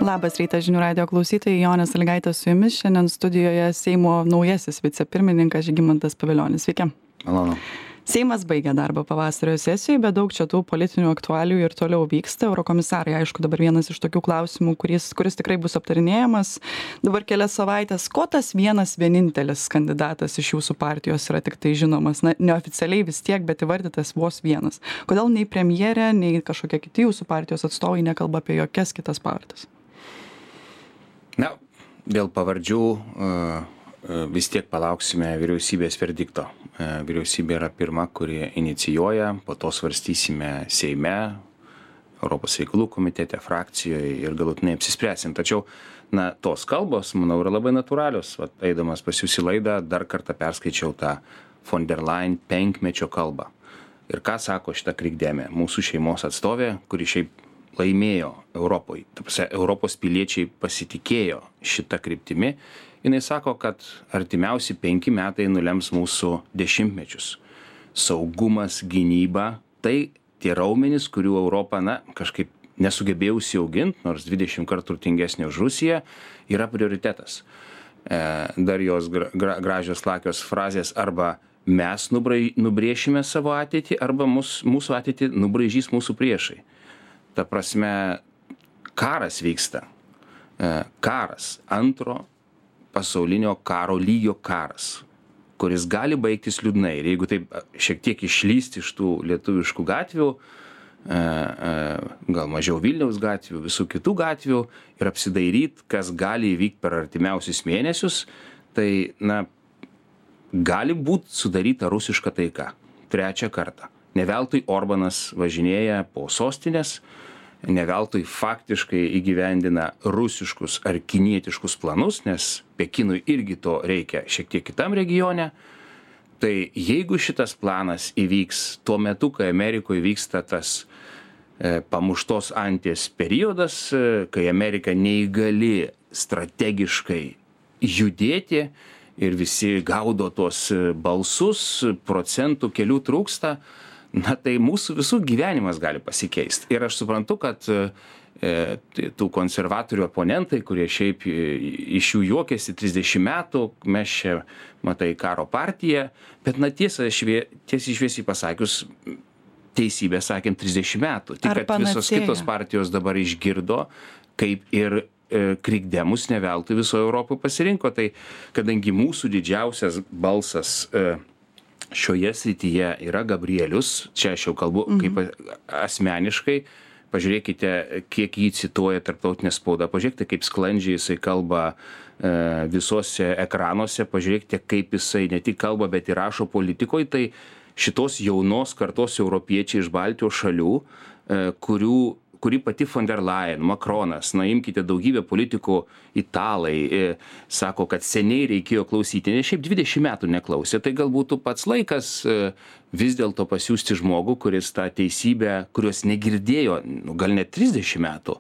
Labas rytas žinių radijo klausytojai, Jonė Sąlygaitė su jumis. Šiandien studijoje Seimo naujasis vicepirmininkas Žygimantas Pavilionis. Sveiki. Malonu. Seimas baigė darbą pavasario sesijoje, bet daug čia tų politinių aktualijų ir toliau vyksta. Eurokomisarai, aišku, dabar vienas iš tokių klausimų, kuris tikrai bus aptarinėjamas. Dabar kelias savaitės. Ko tas vienintelis kandidatas iš jūsų partijos yra tik tai žinomas? Na, neoficialiai vis tiek, bet įvardytas vos vienas. Kodėl nei premjerė, nei kažkokie kiti jūsų partijos atstovai nekalba apie jokias kitas partijas? Na, dėl pavardžių vis tiek palauksime vyriausybės verdikto. Vyriausybė yra pirma, kuri inicijuoja, po to svarstysime Seime, Europos reikalų komitete, frakcijoje ir galutinai apsispręsim. Tačiau, tos kalbos, manau, yra labai natūralios. Eidamas pas jūs į laidą, dar kartą perskaičiau tą von der Leyen 5-mečio kalbą. Ir ką sako šita krikdemė, mūsų šeimos atstovė, kuri šiaip laimėjo Europoje. Europos piliečiai pasitikėjo šitą kryptimį. Jinai sako, kad artimiausi 5 metai nulems mūsų dešimtmečius. Saugumas, gynyba, tai tie raumenys, kurių Europa, kažkaip nesugebėjo užsiauginti, nors 20 kartų turtingesnė už Rusiją, yra prioritetas. Dar jos gražios lakios frazės, arba mes nubrėšime savo ateitį, arba mūsų ateitį nubraižys mūsų priešai. Ta prasme, karas vyksta. Karas, antro pasaulinio karo lygio karas, kuris gali baigtis liūdnai. Ir jeigu taip šiek tiek išlysti iš tų lietuviškų gatvių, gal mažiau Vilniaus gatvių, visų kitų gatvių ir apsidairyti, kas gali įvykti per artimiausius mėnesius, tai, gali būti sudaryta rusiška taika. 3 kartą. Ne veltui Orbanas važinėja po sostinės, ne veltui faktiškai įgyvendina rusiškus ar kinietiškus planus, nes Pekinui irgi to reikia šiek tiek kitam regione. Tai jeigu šitas planas įvyks tuo metu, kai Amerikoje vyksta tas pamuštos anties periodas, kai Amerika neįgali strategiškai judėti ir visi gaudo tuos balsus, procentų kelių trūksta, tai mūsų visų gyvenimas gali pasikeisti. Ir aš suprantu, kad tų konservatorių oponentai, kurie šiaip iš jų juokėsi 30 metų, mes čia, matai, karo partija, bet tiesiai šviesiai pasakius, teisybę sakėm 30 metų. Tik kad visos kitos partijos dabar išgirdo, kaip ir krikdemus ne veltui visoje Europoje pasirinko. Tai kadangi mūsų didžiausias balsas šioje srityje yra Gabrielius, čia aš jau kalbu kaip asmeniškai, pažiūrėkite, kiek jį cituoja tarptautinė spauda, pažiūrėkite, kaip sklandžiai jisai kalba visuose ekranuose, pažiūrėkite, kaip jisai ne tik kalba, bet ir rašo politikoje, tai šitos jaunos kartos europiečiai iš Baltijos šalių, kuri pati von der Leyen, Macronas, imkite daugybę politikų, italai, sako, kad seniai reikėjo klausyti, nes šiaip 20 metų neklausė, tai galbūt pats laikas vis dėlto pasiųsti žmogų, kuris tą teisybę, kurios negirdėjo, gal net 30 metų,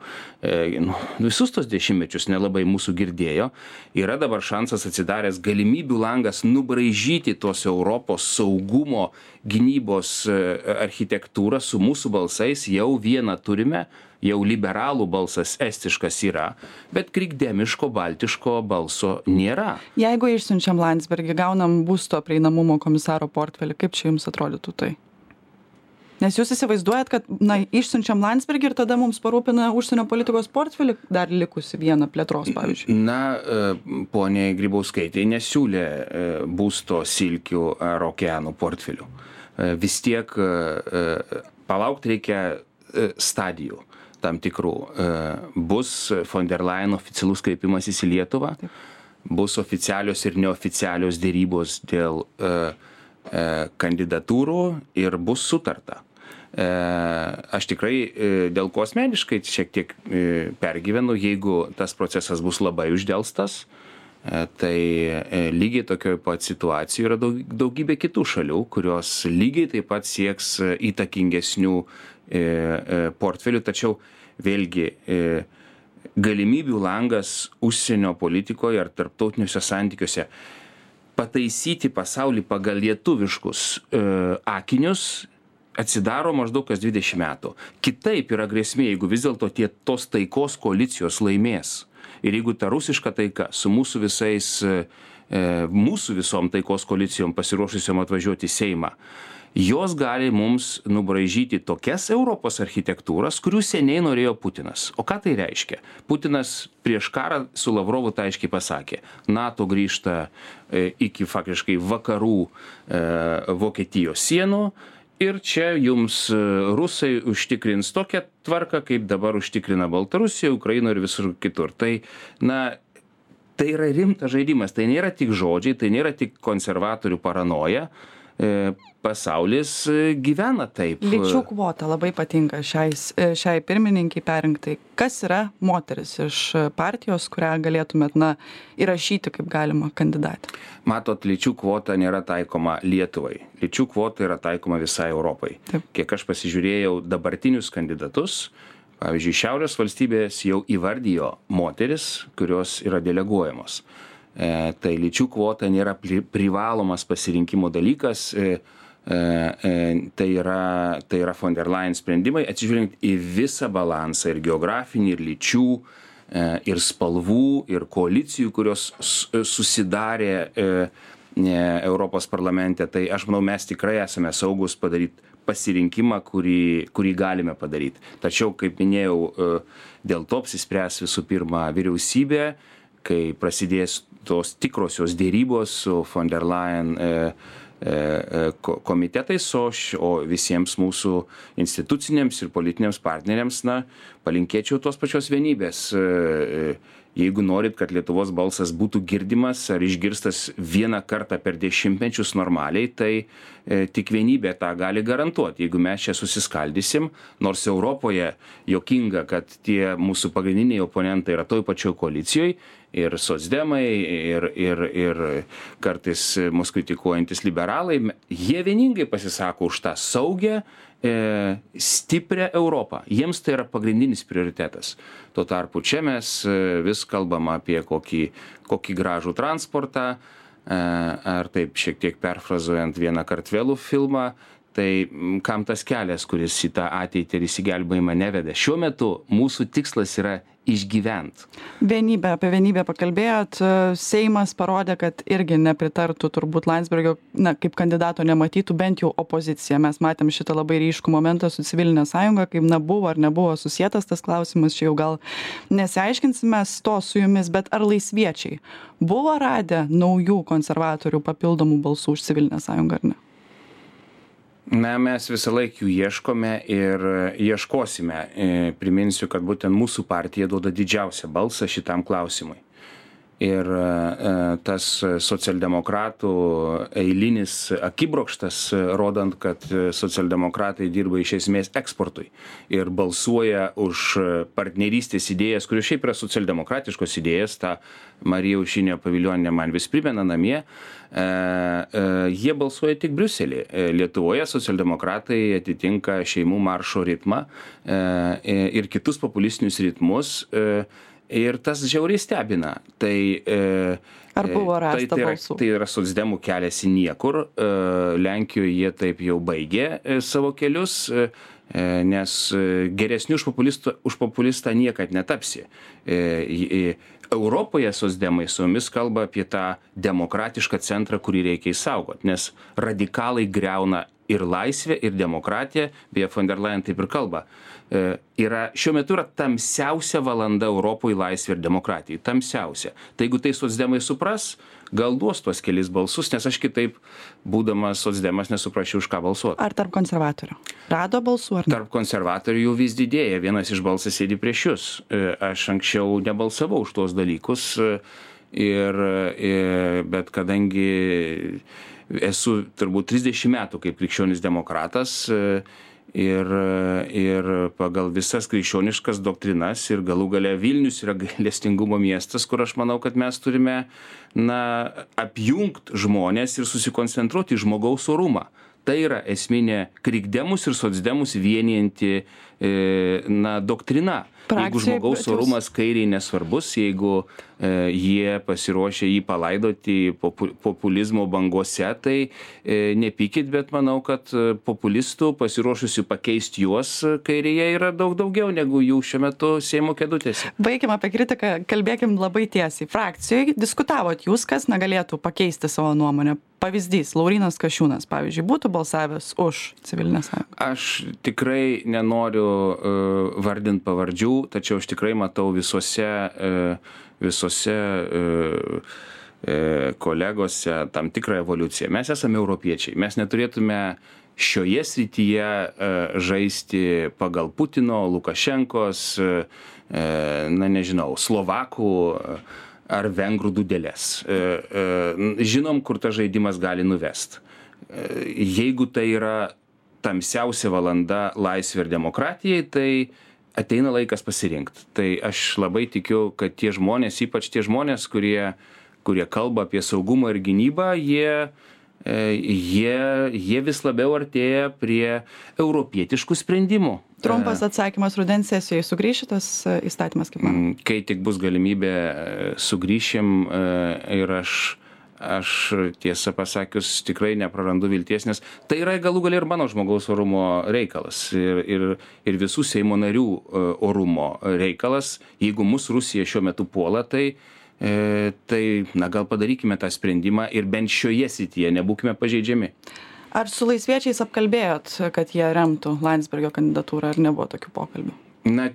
visus tos dešimtmečius nelabai mūsų girdėjo, yra dabar šansas atsidaręs galimybių langas nubraižyti tos Europos saugumo gynybos architektūrą su mūsų balsais, jau vieną turime, jau liberalų balsas estiškas yra, bet krikdemiško, baltiško balso nėra. Jeigu išsiunčiam Landsbergį, gaunam būsto prieinamumo komisaro portfelį, kaip čia jums atrodytų tai? Nes jūs įsivaizduojat, kad išsiunčiam Landsbergį ir tada mums parūpina užsienio politikos portfelį, dar likusi vieną plėtros, pavyzdžiui. Poniai Grybauskaitei nesiūlė būsto silkių ar okeanų portfelių. Vis tiek palaukti reikia stadijų tam tikrų. Bus von der Leyen oficialus kreipimasis į Lietuvą, bus oficialios ir neoficialios dėrybos dėl kandidatūrų ir bus sutarta. Aš tikrai dėl ko asmeniškai šiek tiek pergyvenu, jeigu tas procesas bus labai uždelstas, tai lygiai tokioj pat situacijoj yra daugybė kitų šalių, kurios lygiai taip pat sieks įtakingesnių portfelių, tačiau vėlgi galimybių langas užsienio politikoje ar tarptautiniuose santykiuose pataisyti pasaulį pagal lietuviškus akinius atsidaro maždaug kas 20 metų. Kitaip yra grėsmė, jeigu vis dėlto tos taikos koalicijos laimės. Ir jeigu ta rusiška taika su mūsų visom taikos koalicijom pasiruošusiom atvažiuoti į Seimą, jos gali mums nubraižyti tokias Europos architektūras, kurių seniai norėjo Putinas. O ką tai reiškia? Putinas prieš karą su Lavrovu tai aiškiai pasakė. NATO grįžta iki faktiškai vakarų Vokietijos sienų. Ir čia jums rusai užtikrins tokią tvarką, kaip dabar užtikrina Baltarusija, Ukraina ir visur kitur. Tai yra rimtas žaidimas, tai nėra tik žodžiai, tai nėra tik konservatorių paranoja. Pasaulis gyvena taip. Lyčių kvota labai patinka šiai pirmininkai perrinktai. Kas yra moteris iš partijos, kurią galėtumėt įrašyti kaip galima kandidatę? Matot, lyčių kvota nėra taikoma Lietuvai. Lyčių kvota yra taikoma visai Europai. Taip. Kiek aš pasižiūrėjau dabartinius kandidatus, pavyzdžiui, Šiaurės valstybės jau įvardijo moteris, kurios yra deleguojamos. Tai lyčių kvota nėra privalomas pasirinkimo dalykas, tai yra von der Leyen sprendimai, atsižiūrint į visą balansą ir geografinį, ir lyčių, ir spalvų, ir koalicijų, kurios susidarė Europos parlamente. Tai aš manau, mes tikrai esame saugus padaryti pasirinkimą, kurį galime padaryti. Tačiau, kaip minėjau, dėl to apsispręs visų pirma vyriausybė, kai prasidės tos tikrosios dėrybos su von der Leyen komitetais, o visiems mūsų instituciniams ir politiniams partneriams, palinkėčiau tos pačios vienybės. Jeigu norit, kad Lietuvos balsas būtų girdimas ar išgirstas vieną kartą per dešimtmečius normaliai, tai tik vienybė tą gali garantuoti. Jeigu mes čia susiskaldysim, nors Europoje juokinga, kad tie mūsų pagrindiniai oponentai yra toj pačioj koalicijoje, ir socdemai, ir kartais mus kritikuojantis liberalai, jie vieningai pasisako už tą saugę, stiprią Europą. Jiems tai yra pagrindinis prioritetas. Tuo tarpu čia mes vis kalbam apie kokį gražų transportą, ar taip šiek tiek perfrazuojant vieną Kartvelų filmą, tai kam tas kelias, kuris į tą ateitį ir įsigelbėjimą neveda. Šiuo metu mūsų tikslas yra išgyvent. Apie vienybę pakalbėjot. Seimas parodė, kad irgi nepritartų turbūt Landsbergio, kaip kandidato nematytų bent jau opozicija. Mes matėm šitą labai ryškų momentą su civilinė sąjunga, kaip buvo ar nebuvo susietas tas klausimas, čia jau gal nesiaiškinsime to su jumis, bet ar laisviečiai buvo radę naujų konservatorių papildomų balsų už civilinę sąjungą ar ne? Mes visą laiką jų ieškome ir ieškosime. Priminsiu, kad būtent mūsų partija duoda didžiausią balsą šitam klausimui. Ir tas socialdemokratų eilinis akibrokštas, rodant, kad socialdemokratai dirba iš esmės eksportui ir balsuoja už partnerystės idėjas, kurios šiaip yra socialdemokratiškos idėjas, tą Marija Aušrinė Pavilionė man vis primena namie, jie balsuoja tik Briuselį. Lietuvoje socialdemokratai atitinka šeimų maršo ritmą ir kitus populistinius ritmus. Ir tas žiauriai stebina. Ar buvo rasta balsų? Tai yra socdemų kelias į niekur. Lenkijoje jie taip jau baigė savo kelius, nes geresnių už populistą niekad netapsi. Europoje socdemai su mumis kalba apie tą demokratišką centrą, kurį reikia išsaugoti, nes radikalai griauna ir laisvę, ir demokratiją, beje, von der Leyen taip ir kalba. Šiuo metu yra tamsiausia valanda Europoje laisvė ir demokratijai. Tamsiausia. Tai jeigu tai socdemai supras, gal duos tuos kelis balsus, nes aš kitaip, būdamas socdemas, nesuprasčiau, už ką balsuoti. Ar tarp konservatorių? Rado balsų ar ne? Tarp konservatorių jų vis didėja. Vienas iš balsas sėdi prieš jūs. Aš anksčiau nebalsavau už tuos dalykus, bet kadangi esu turbūt 30 metų kaip krikščionis demokratas, ir pagal visas krikščioniškas doktrinas ir galų gale Vilnius yra gailestingumo miestas, kur aš manau, kad mes turime apjungti žmonės ir susikoncentruoti į žmogaus orumą. Tai yra esminė krikdemus ir socdemus vienijanti doktrina. Jeigu žmogaus orumas kairiai nesvarbus, jeigu jie pasiruošia jį palaidoti populizmo bangose, tai nepykit, bet manau, kad populistų pasiruošusių pakeisti juos kairėje yra daug daugiau negu jų šiuo metu Seimo kėdutėse. Baigim apie kritiką, kalbėkim labai tiesiai. Frakcijoje diskutavot jūs, kas negalėtų pakeisti savo nuomonę. Pavyzdys, Laurynas Kasčiūnas, pavyzdžiui, būtų balsavęs už civilinę sąjungą. Aš tikrai nenoriu vardinti pavardžių, tačiau aš tikrai matau visose kolegose tam tikrą evoliuciją. Mes esame europiečiai, mes neturėtume šioje srityje žaisti pagal Putino, Lukašenkos, Slovakų ar vengrų dūdelės. Žinom, kur tas žaidimas gali nuvest. Jeigu tai yra tamsiausia valanda laisvė ir demokratijai, tai ateina laikas pasirinkti. Tai aš labai tikiu, kad tie žmonės, ypač tie žmonės, kurie kalba apie saugumą ir gynybą, jie vis labiau artėja prie europietiškų sprendimų. Trumpas atsakymas, rudens sesijoje sugrįš šitas įstatymas, kaip man? Kai tik bus galimybė, sugrįšim ir aš tiesą pasakius tikrai neprarandu vilties, nes tai yra galų gale ir mano žmogaus orumo reikalas ir visų Seimo narių orumo reikalas. Jeigu mus Rusija šiuo metu puola, tai gal padarykime tą sprendimą ir bent šioje srityje nebūkime pažeidžiami. Ar su laisviečiais apkalbėjot, kad jie remtų Landsbergio kandidatūrą, ar nebuvo tokių pokalbių?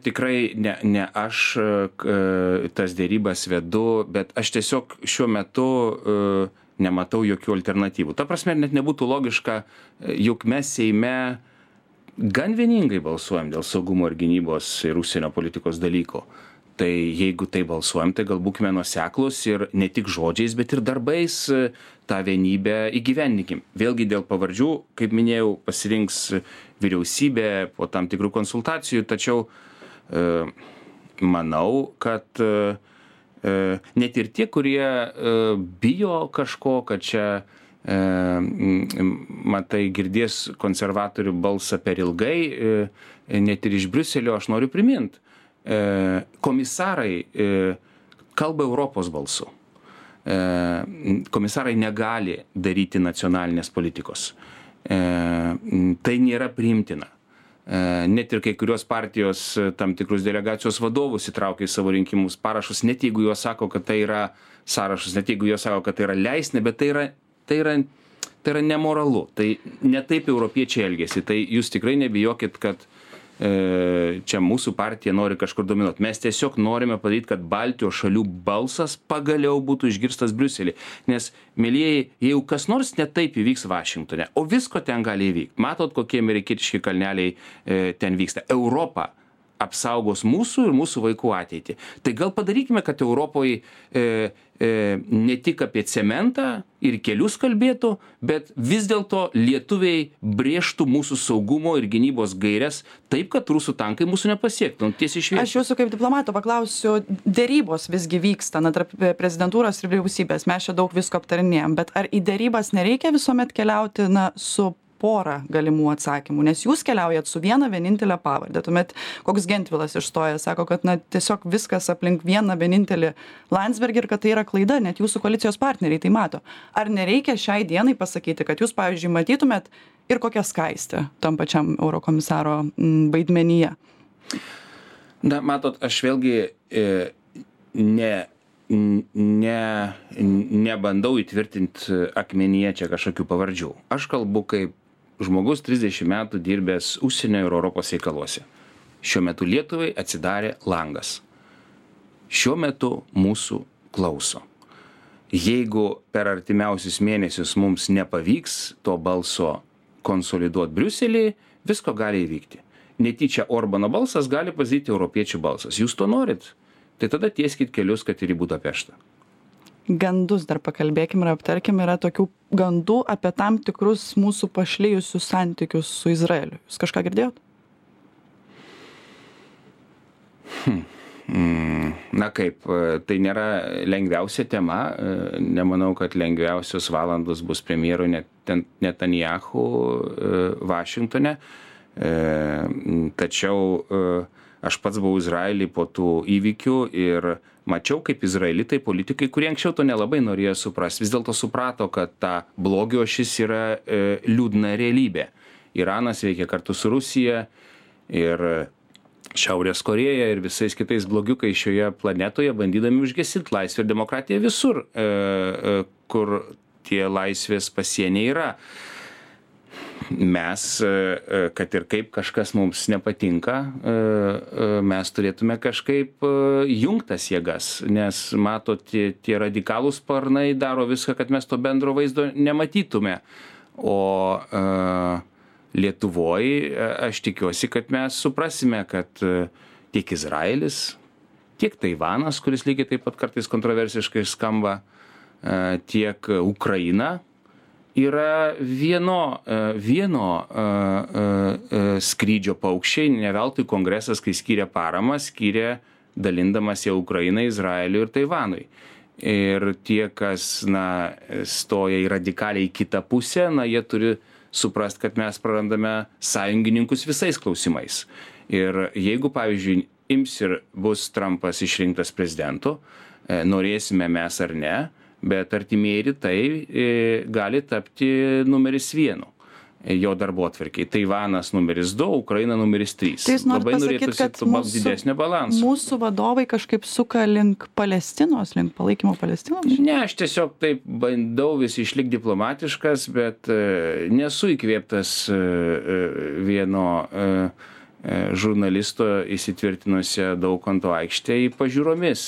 Tikrai ne aš tas dėrybas vedu, bet aš tiesiog šiuo metu nematau jokių alternatyvų. Ta prasme, net nebūtų logiška, juk mes Seime gan vieningai balsuojam dėl saugumo ir gynybos ir užsienio politikos dalyko. Tai jeigu tai balsuojam, tai gal būkime nuoseklūs ir ne tik žodžiais, bet ir darbais tą vienybę įgyvendinkim. Vėlgi dėl pavardžių, kaip minėjau, pasirinks vyriausybė po tam tikrų konsultacijų, tačiau manau, kad net ir tie, kurie bijo kažko, kad čia matai, girdės konservatorių balsą per ilgai, net ir iš Briuselio, aš noriu priminti. Komisarai kalba Europos balsu. Komisarai negali daryti nacionalinės politikos. Tai nėra priimtina. Net ir kai kurios partijos tam tikrus delegacijos vadovus įtraukia į savo rinkimus parašus, net jeigu jos sako, kad tai yra sąrašas, net jeigu jos sako, kad tai yra leistina, bet tai yra nemoralu. Tai ne taip europiečiai elgėsi. Tai jūs tikrai nebijokit, kad čia mūsų partija nori kažkur dominuoti. Mes tiesiog norime padaryti, kad Baltijos šalių balsas pagaliau būtų išgirstas Briuselį. Nes, mielieji, jeigu kas nors ne taip įvyks Vašingtone, o visko ten gali įvykti. Matot, kokie amerikietiški kalneliai ten vyksta. Europa apsaugos mūsų ir mūsų vaikų ateitį. Tai gal padarykime, kad Europoje ne tik apie cementą ir kelius kalbėtų, bet vis dėlto lietuviai brėžtų mūsų saugumo ir gynybos gaires taip, kad rusų tankai mūsų nepasiektų. Tiesiai šviesiai. Aš jūsų kaip diplomato paklausiu, dėrybos visgi vyksta tarp prezidentūros ir vyriausybės. Mes čia daug visko aptarinėjom, bet ar į dėrybas nereikia visuomet keliauti su porą galimų atsakymų, nes jūs keliaujat su viena vienintelė pavardė. Tuomet koks Gentvilas išstoja, sako, kad tiesiog viskas aplink vieną vienintelį Landsbergį ir kad tai yra klaida, net jūsų koalicijos partneriai tai mato. Ar nereikia šiai dienai pasakyti, kad jūs, pavyzdžiui, matytumėt ir kokią Skaistę tam pačiam eurokomisaro vaidmenyje? Na, matot, aš vėlgi nebandau įtvirtinti akmenyje čia kažkokių pavardžių. Aš kalbu kaip žmogus 30 metų dirbęs užsienio ir Europos reikaluose. Šiuo metu Lietuvai atsidarė langas. Šiuo metu mūsų klauso. Jeigu per artimiausius mėnesius mums nepavyks to balso konsoliduoti Briuselį, visko gali įvykti. Netyčia Orbano balsas gali pasidaryti europiečių balsas. Jūs to norit? Tai tada tieskit kelius, kad ir į Budapeštą. Gandus dar pakalbėkim ir aptarkim, yra tokių gandų apie tam tikrus mūsų pašlijusius santykius su Izraeliu. Jūs kažką girdėjot? Na kaip, tai nėra lengviausia tema. Nemanau, kad lengviausios valandos bus premjerui Netanyahu Vašingtone. Tačiau aš pats buvau Izraely po tų įvykių ir mačiau, kaip izraelitai politikai, kurie anksčiau to nelabai norėjo suprasti, vis dėlto suprato, kad ta blogio ašis yra liūdna realybė. Iranas veikia kartu su Rusija ir Šiaurės Korėja ir visais kitais blogiukais šioje planetoje, bandydami užgesinti laisvę ir demokratiją visur, kur tie laisvės pasieniai yra. Mes, kad ir kaip kažkas mums nepatinka, mes turėtume kažkaip jungtas jėgas, nes matot, tie radikalūs sparnai daro viską, kad mes to bendro vaizdo nematytume. O Lietuvoje aš tikiuosi, kad mes suprasime, kad tiek Izraelis, tiek Taivanas, kuris lygiai taip pat kartais kontroversiškai skamba, tiek Ukraina yra vieno skrydžio paukščiai, ne veltui kongresas, kai skyrė paramą, skyrė dalindamas ją Ukrainai, Izraeliui ir Taivanui. Ir tie, kas stoja į radikaliai kitą pusę, jie turi suprast, kad mes prarandame sąjungininkus visais klausimais. Ir jeigu, pavyzdžiui, ims ir bus Trumpas išrinktas prezidentu, norėsime mes ar ne, bet artimieji rytai gali tapti numeris 1 jo darbotvarkėj. Taivanas numeris 2, Ukraina numeris 3. Tai jūs norit pasakyti, kad didesnio balanso. Mūsų vadovai kažkaip suka link Palestinos, link palaikymo Palestinos? Ne, aš tiesiog taip bandau vis išlikti diplomatiškas, bet nesu įkvėptas vieno žurnalisto įsitvirtinusią Daukanto aikštėje pažiūromis.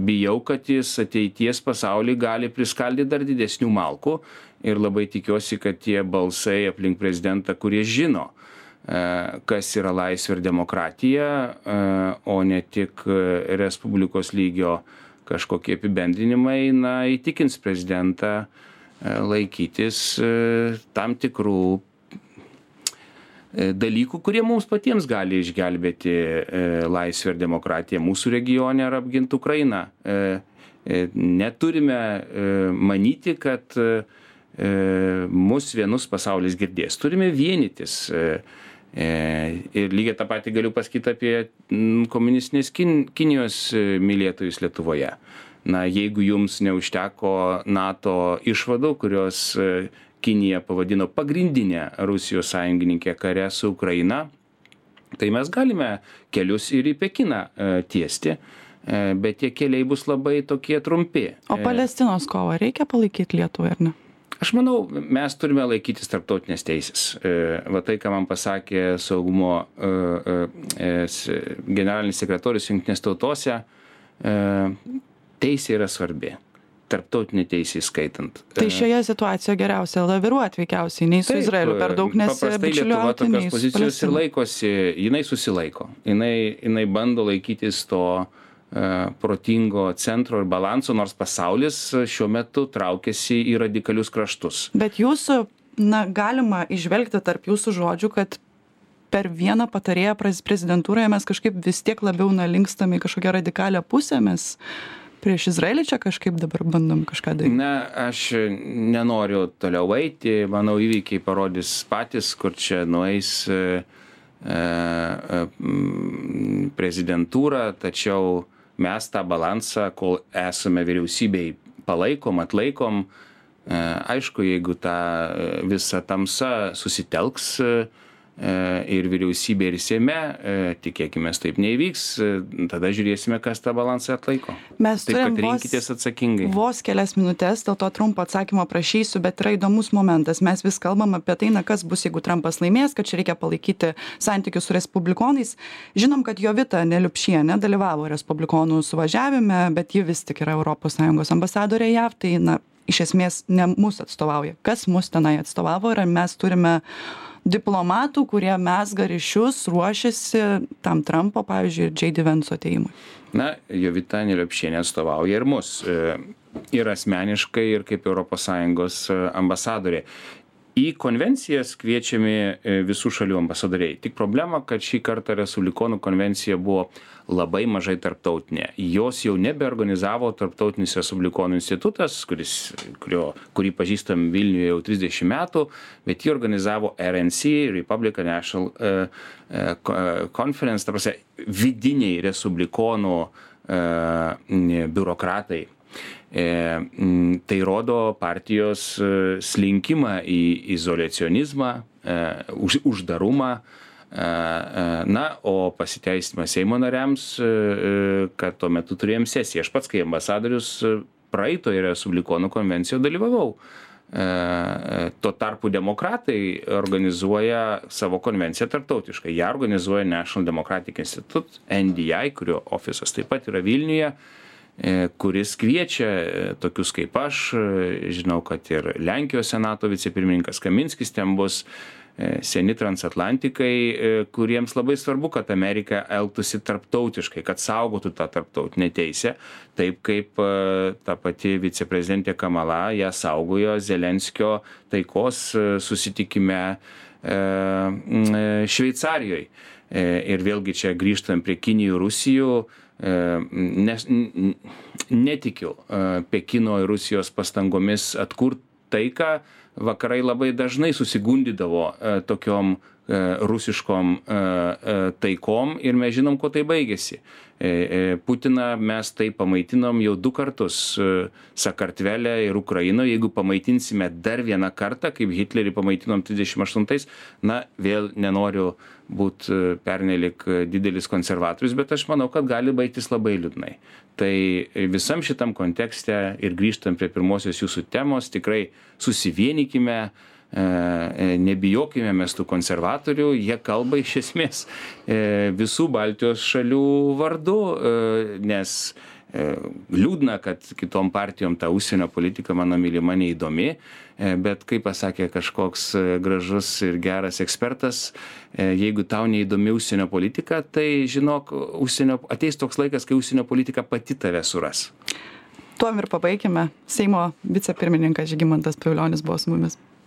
Bijau, kad jis ateities pasaulį gali priskaldyti dar didesnių malkų ir labai tikiuosi, kad tie balsai aplink prezidentą, kurie žino, kas yra laisvė ir demokratija, o ne tik Respublikos lygio kažkokie apibendrinimai, įtikins prezidentą laikytis tam tikrų dalykų, kurie mums patiems gali išgelbėti laisvę ir demokratiją mūsų regione ar apginti Ukrainą. Neturime manyti, kad mus vienus pasaulis girdės. Turime vienytis. Ir lygiai tą patį galiu pasakyti apie komunistinės Kinijos mylėtojus Lietuvoje. Jeigu jums neužteko NATO išvadų, kurios Kinija pavadino pagrindinę Rusijos sąjungininkę kare su Ukraina, tai mes galime kelius ir į Pekiną tiesti, bet tie keliai bus labai tokie trumpi. O Palestinos kovą reikia palaikyti Lietuvai, ar ne? Aš manau, mes turime laikytis tarptautinės teisės. Va tai, ką man pasakė saugumo generalinis sekretorius Jungtinės tautose, teisė yra svarbi. Tarptautinė teisė įskaitant. Tai šioje situacijoje geriausia laviruoti veikiausiai, nei su Izraeliu per daug nesibičiuliauti, nei su pozicijos ir laikosi, jinai susilaiko. Jinai bando laikytis to protingo centro ir balanso, nors pasaulis šiuo metu traukiasi į radikalius kraštus. Bet jūsų, galima išvelgti tarp jūsų žodžių, kad per vieną patarėją prezidentūroje mes kažkaip vis tiek labiau linkstame į kažkokią radikalią pusę, mes prieš Izraelį čia kažkaip dabar bandom kažką daryti. Aš nenoriu toliau eiti, manau, įvykiai parodys patys, kur čia nueis prezidentūra, tačiau mes tą balansą, kol esame vyriausybei, palaikom, atlaikom. Aišku, jeigu ta visa tamsa susitelks ir vyriausybė ir Seime, tikėkime, taip neįvyks, tada žiūrėsime, kas tą balansą atlaiko. Mes taip, kad rinkitės atsakingai. Vos kelias minutės, dėl to trumpą atsakymą prašysiu, bet yra įdomus momentas. Mes vis kalbam apie tai, kas bus, jeigu Trumpas laimės, kad čia reikia palaikyti santykius su respublikonais. Žinom, kad Jovita Neliupšienė dalyvavo respublikonų suvažiavime, bet ji vis tik yra ES ambasadorė JAV, tai iš esmės ne mus atstovauja. Kas mus tenai atstovavo ir mes turime diplomatų, kurie mezga ryšius, ruošiasi tam Trumpo, pavyzdžiui, ir J.D. Vance atėjimui. Jovita Neliupšienė atstovauja ir mus. Ir asmeniškai, ir kaip ES ambasadorė. Į konvencijas kviečiami visų šalių ambasadoriai. Tik problema, kad šį kartą Respublikonų konvencija buvo labai mažai tarptautinė. Jos jau nebeorganizavo Tarptautinis Respublikonų institutas, kurį pažįstam Vilniuje jau 30 metų, bet jį organizavo RNC, Republican National Conference, ta prasme, vidiniai Respublikonų biurokratai. Tai rodo partijos slinkimą į izoliacionizmą, uždarumą, na, o pasiteisimas Seimo nariams, kad tuo metu turėjom sesiją. Aš pats, kai ambasadorius, praeitoje Respublikonų konvencijoje dalyvavau. Tuo tarpu demokratai organizuoja savo konvenciją tarptautiškai. Ją organizuoja National Democratic Institute, NDI, kurio ofisas taip pat yra Vilniuje, kuris kviečia tokius kaip aš, žinau, kad ir Lenkijos senato vicepirmininkas Kaminskis ten bus, seni transatlantikai, kuriems labai svarbu, kad Amerika elgtųsi tarptautiškai, kad saugotų tą tarptautinę teisę, taip kaip ta pati viceprezidentė Kamala ją saugojo Zelenskio taikos susitikime Šveicarijoje. Ir vėlgi čia grįžtam prie Kinijų, Rusijų, netikiu Pekino ir Rusijos pastangomis atkurti taiką. Vakarai labai dažnai susigundydavo tokiom rusiškom taikom ir mes žinom, kuo tai baigėsi. Putiną mes tai pamaitinom jau 2 kartus Sakartvele ir Ukrainoje. Jeigu pamaitinsime dar vieną kartą, kaip Hitlerį pamaitinom 38, na, vėl nenoriu būti pernelik didelis konservatorius, bet aš manau, kad gali baigtis labai liūdnai. Tai visam šitam kontekste ir grįžtam prie pirmosios jūsų temos, tikrai susivienykime, nebijokime mes tų konservatorių, jie kalba iš esmės visų Baltijos šalių vardu, nes liūdna, kad kitom partijom ta užsienio politika, mano mylima, neįdomi, bet kaip pasakė kažkoks gražus ir geras ekspertas, jeigu tau neįdomi užsienio politika, tai žinok, ateis toks laikas, kai užsienio politika pati tave suras. Tuom ir pabaikime. Seimo vicepirmininkas Žygimantas Pavilionis buvo su mumis.